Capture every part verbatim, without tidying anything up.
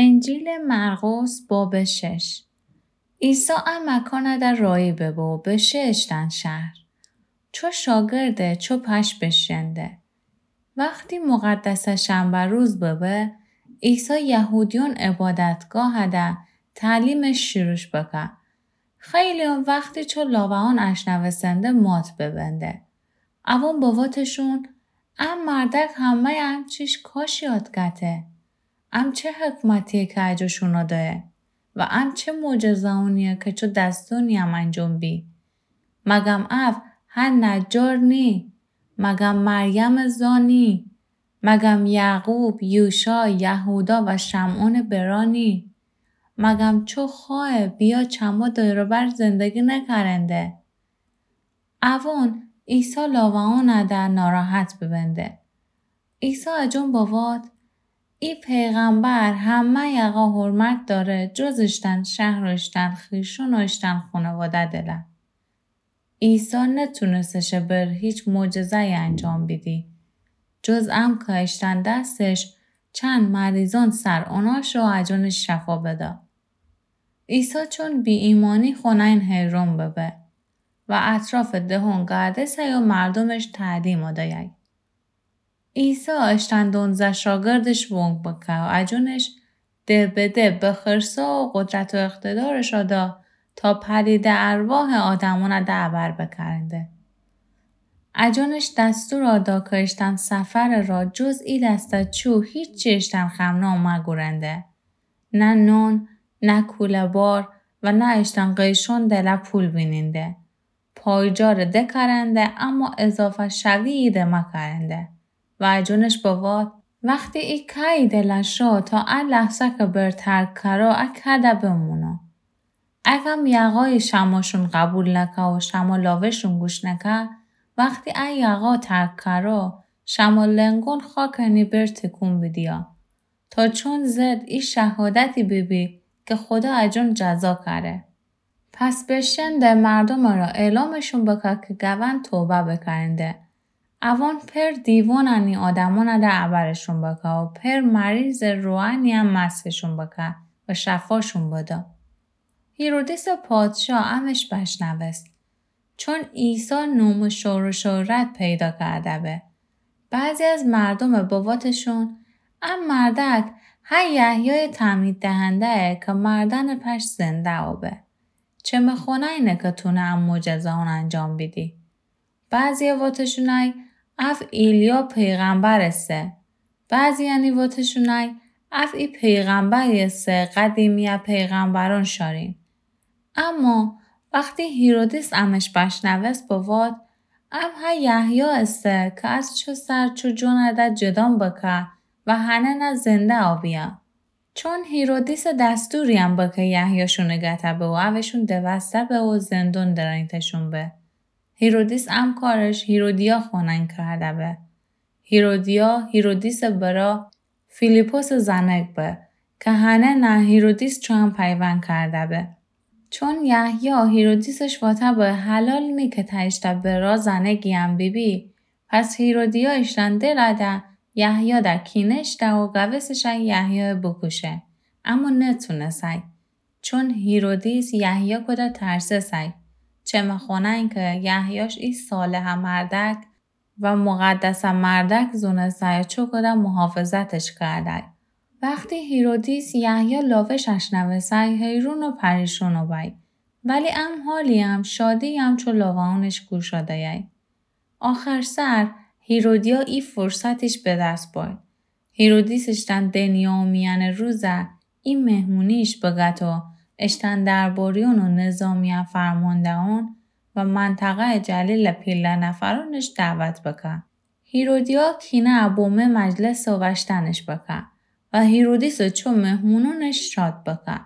انجیلٚ مرقس بابٚ شش. عیسی ا مکانٚ در راهی ببه و بشه اشتأن شهر. چو شاگرده چو پش بشکنده. وختی مقدسٚ شنبه روز ببه، عیسی یهودیون عبادتگاهٚ در تعلیمش شروش بکه. خیلیون وختی چو لاوه‌ان اشنوستنده مات ببنده. اوان بوتشون، ا مردک همه‌یٚ ا چیش کاشی یاد گته؟ ام چه حکمتیه که اجو شونو دأیه و ام چه معجزه‌ونیه که چو دستونی ام انجام بی؟ مگم او هه نجار نی؟ مگم مریمٚ زا نی؟ مگم یعقوب، یوشا، یهودا و شمعونٚ برا نی؟ مگم چو خوأیه بیأ چمو دور و بر زندگی نکرنده؟ اوان عیسی لاوه‌انٚ در ناراحت ببنده. عیسی اجون بوات، ای پیغمبر همه‌یٚ یقا حرمت دأره، جز اشتأن شهر و اشتأن خویشون و اشتأن خونواده دله. عیسی نتونستشه بر هیچ معجزه‌یی انجام بیدی، جز ام که اشتأن دستش چند مریضون سر اوناش و اجونش شفا بده. عیسی چون بی‌ایمانی خونه‌یین حیرون ببه و اطرافٚ دهون گردسه‌یی و مردومش تعلیمو دأیی. عیسی اشتأن دونزه شاگردش ونگ بکه و اجونش ده به ده بخرسه و قدرت و اقتدارش دا تا پلیده ارواحٚ آدمونٚ در بر بکرنده. اجونش دستور دا که اشتأن سفرٚ را جز ای دسته چو هیچی اشتأن خمنو مگورنده. نه نون، نه کوله‌بار و نه اشتأن قیشون دله پول بینینده. پایجاره دکرنده، اما اضافه شویی ده مکرنده. و اجونش بوات، وختی ای که‌یی دله شو تا ا لحظه که بر ترک کرو ا که‌ده بمونو. اگم یقایٚ شموشون قبول نکه و شمو لاوه‌شون گوش نکه، وختی ا یقا ترک کرو، شمو لنگون خاکٚ نی بر تکون بیدیا. تا چون زد ای شهادتی بیبی که خودا اجون جزا کره. پس بشنده مردومٚ را اعلامشون بکه که گون توبه بکرنده. اوان پر دیوانٚ نی آدمونٚ در ابرشون بکه و پر مریضٚ روحانی‌یم مسحشون بکه و شفاشون بده. هیرودیسٚ پادشا امش بشنوست. چون عیسی نوم و شور و شهرت پیدا کرده به. بعضی از مردوم بواتشون، ا مردک هه یحیای تعمید دهنده‌یه که مردأنٚ پشت زنده آبه. چمه خونه‌یینه که تونه ا معجزه‌یون انجام بیدی. بعضی واتشونای اف ایلیا پیغمبر ایسه. بعضی‌یأنی واتشونای اف ای پیغمبری ایسه قدیمی‌یه پیغمبرون شارین. اما وختی هیرودیس امش بشنوست بوات، ام هه یحیی ایسه که از چو سر چو جونٚ در جدان بکه و هنه نه زنده آبیه. چون هیرودیسٚ دستوری‌یم بکه یحیی شونه گته به و اوشون دوسته به و زندون درانیتشون به. هیرودیس ام کارش هیرودیا خونه‌یین کرده به. هیرودیا، هیرودیسٚ برا فیلیپسٚ زنک به که هنه نه هیرودیس چویم پیوند کرده به. چون یحیی هیرودیسش واته به حلال نی که تأ اشتأ برا زنک گییم بیبی، پس هیرودیا اشتأن دلٚ در یحیی در کینه اشتأ و گوستشأن یحیی بوکوشه، اما نتونسأی. چون هیرودیس یحیی کوده ترسسأی، چمه خونه‌یین که یحییش ای صالحٚ مردک و مقدسٚ مردک زونسأی و چو کوده محافظتش کردأی. وختی هیرودیس یحیی لاوش اشنوسأی، حیرون و پریشون بأی. ولی ام حالی‌یم شادی‌یم چو لاوه‌یونش گوش دأیأی. آخر سر هیرودیا ای فرصتیش به دس بأی. هیرودیس اشتأن دنیا و میأنٚ روزه ای مهمونیش بگت و اشتأن درباریون و نظامی‌یه فرمانده‌یون و منطقه‌یٚ جلیلٚ پیله نفرونش دعوت بکه. هیرودیا کینه بومه مجلس و وشتنش بکه و هیرودیس چو مهمونونش شاد بکه.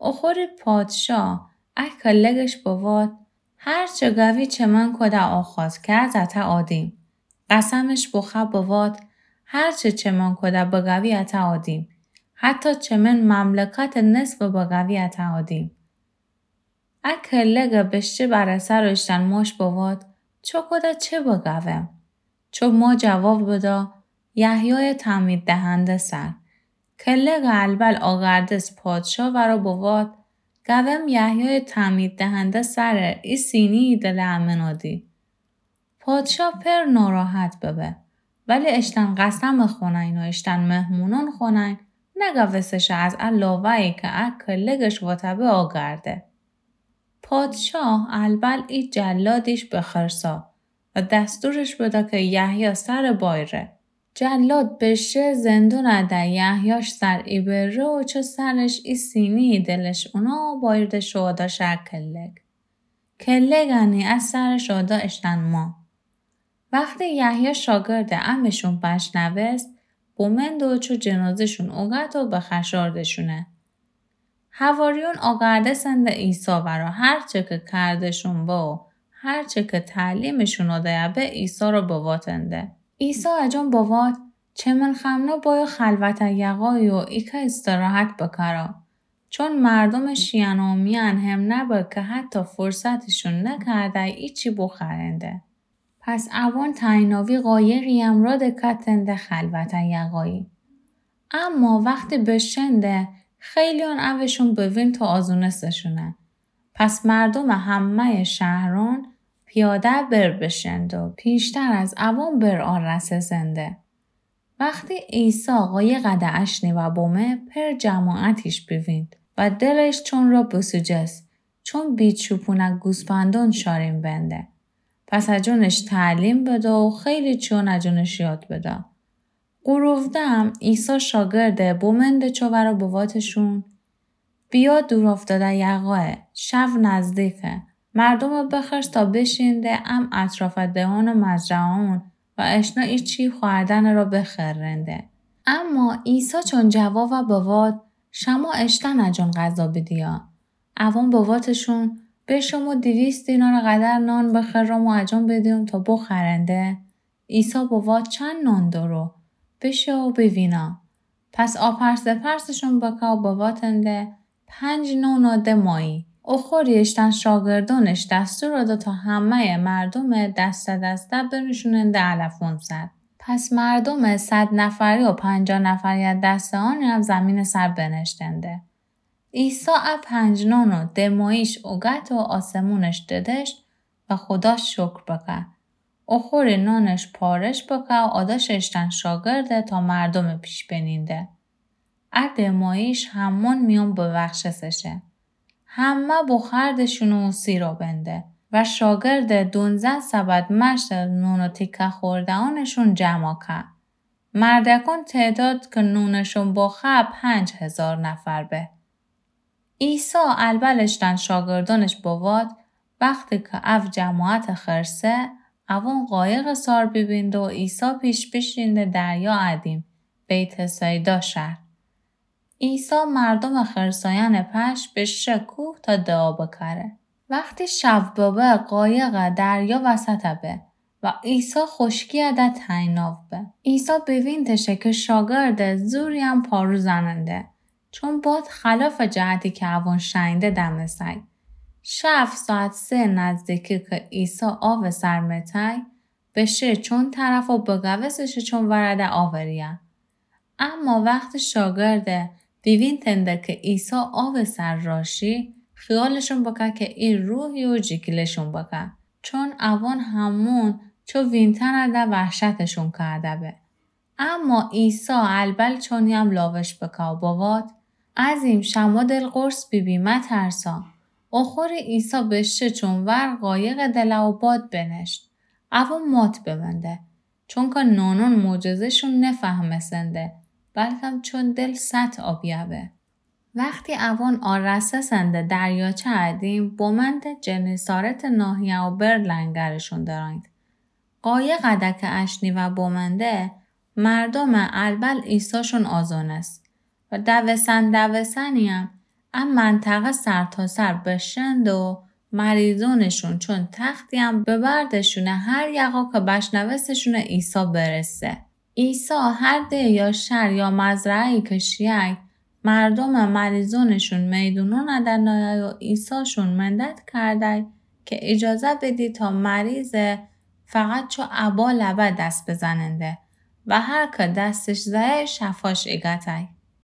اخوری پادشا ا کلگش بوات، هر چه گوی چه من کوده آخوت که از اته آدیم. قسمش بوخه بوات، هر چه چه من کوده بگوی اته آدیم. حتی چه من مملکتٚ نصف بگوی اته آدیم. ا کلگٚ بشته بره سر و اشتأن ماش بوات، چو کوده چه بگوم؟ چو ما جواب بدا، یحیای تعمید دهنده سر. کلگٚ البل آگردس پادشاه ورا بوات: گوم یحیایٚ تعمیددهنده سرٚ ای سینی‌یی دلٚ امنادی. پادشاه پر ناراحت ببه، ولی اشتن قسمٚ خونین و اشتن مهمونون خونین نگوسته شه از ا لاوه‌یی که ا کلگش واتبه آگرده. پادشاه البل ای جلادیش بخرسا و دستورش بده که یحیی سرٚ بایره. جلاد بشه زندونٚ ده یحیاش سر ایبره و چو سرش ای سینی‌یی دلش اونا بایردش و اوداش ا کلگ. کلگانی ا سرش اودا اشتن ما. وختی یحیی شاگردٚ امشون بشنوست، بومنده و چو جنازه‌شون اوگت و بخشاردشونه. حواریون آگردسنده عیسی ورا هرچه که کرده‌شون به و هرچه که تعلیمشون دایه به عیسی را بواتنده. عیسی اجون بوات: چمن خمنه بایو خلوتٚ یقایی و ایکه استراحت بکره. چون مردومٚ شیئن و میئن هم نبه که حتی فرصتشون نکرده ایچی بوخرنده. پس اوان تایناوی قایقی امرا دکتنده خلوتٚ یقایی. اما وختی بشنده، خیلیون اوشون بوینت و آزونستشونه. پس مردومٚ همه‌یٚ شهرون پیاده بر بشنده و پیشتر از اوان بر آرسسنده. وختی عیسی قایقٚ ده اشنی و بومه، پر جماعتیش بیوینت و دلش چون را بسوجست، چون بیچوپونٚ گوسپندون شارین بنده. پس اجونش تعلیم بده و خیلی چیون اجونش یاد بده. غروب دم عیسی شاگرده بومنده چو ورا بواتشون: بیا دورافتادٚ یقایه، شو نزدیکه. مردومه بخرس تا بشینده ام اطرافٚ دهان و مزرعه‌ون و اشنا ایچی خوردنٚ را بخرنده. اما عیسی چون جوابٚ بوات: شما اشتن اجون غذا بیدیا. اوان بواتشون: به شما دویست دینارٚ قدر نان بخرم و اجون بیدیم تا بوخرنده؟ عیسی بوات: چند نان دارو؟ بشو و بیوینا. پس آپرس دپرسشون بکا و بواتنده: پنج نان و ده ماهی. اوخوری اشتن شاگردونش دستور دا تا همه‌یٚ مردومه دسته دسته بنوشوننده علفون سر. پس مردومٚ صد نفری و پنجاه نفری دسته اونی هم زمینٚ سر بنشتنده. عیسی ا پنج نان و ده ماهیش اوگت و آسمونش ددشت و خودا شکر بکه. اوخوری نانش پارش بکه و اوداش اشتن شاگرده تا مردومٚ پیش بنینده. ا ده ماهیش همون میون ببخشسه شه. همه بوخوردشون و سیرا بنده و شاگرده دونزه سبد مشت نون و تیکه خورده‌انشون جمع که. مردکون تعداد که نونشون بخوره پنج هزار نفر به. عیسی البل اشتن شاگردونش بوات، وختی که او جماعت خرسه، اوون قایق سار بیبینده و عیسی پیش بیشینده دریا ادیم، بیت‌صیدا شهر. عیسی مردوم خرسایان پش بشه کوه تا دعا بکره. وختی شو ببه، قایق دریا وسط به و عیسی خوشکی ده تنگناو به. عیسی بیوینتشه که شاگرد زوری هم پارو زننده، چون باد خلاف جهتی که اوون شنیده دمسای. شو ساعت سه نزدیکی که عیسی آو سر متای، بشه چون طرف و بگوسشه چون ورده آوریه. اما وختی شاگرده بیوینتنده که عیسی آو سر راشی، خیالشون بکه که ای روحی و جیگیلشون بکه، چون اوون همون چو وینتنده وحشتشون کرده به. اما عیسی البل چونی هم لاوش بکه و بوات، ازیم شما دل قرص بیبی، مترسا. اوخوری عیسی بشه چون ور قایق دله و باد بنشت. اوون مات بمنده، چونکه نونون معجزه‌شون نفهمسنده، بلکم چون دل سطع آبیه به. وختی اوون آرسسنده دریاچه ادیم، بومنده جنیسارت ناحیه و بر لنگرشون درانید. قایق ده که اشنی و بومنده، مردوم البل عیساشون آزونست و دوسن دوسنی هم ا منطقه سرتاسر بشند و مریضونشون چون تختی هم ببردشونه هر یقا که بشنوستشون عیسی برسه. عیسی هر ده یا شهر یا مزرعه‌ای که شیای، مردوم مریضونشون میدونون ده نایای و عیساشون منت کردای که اجازه بدی تا مریضه فقط چو ابا لبه دست بزننده و هر که دستش زایه شفاش ایگتای.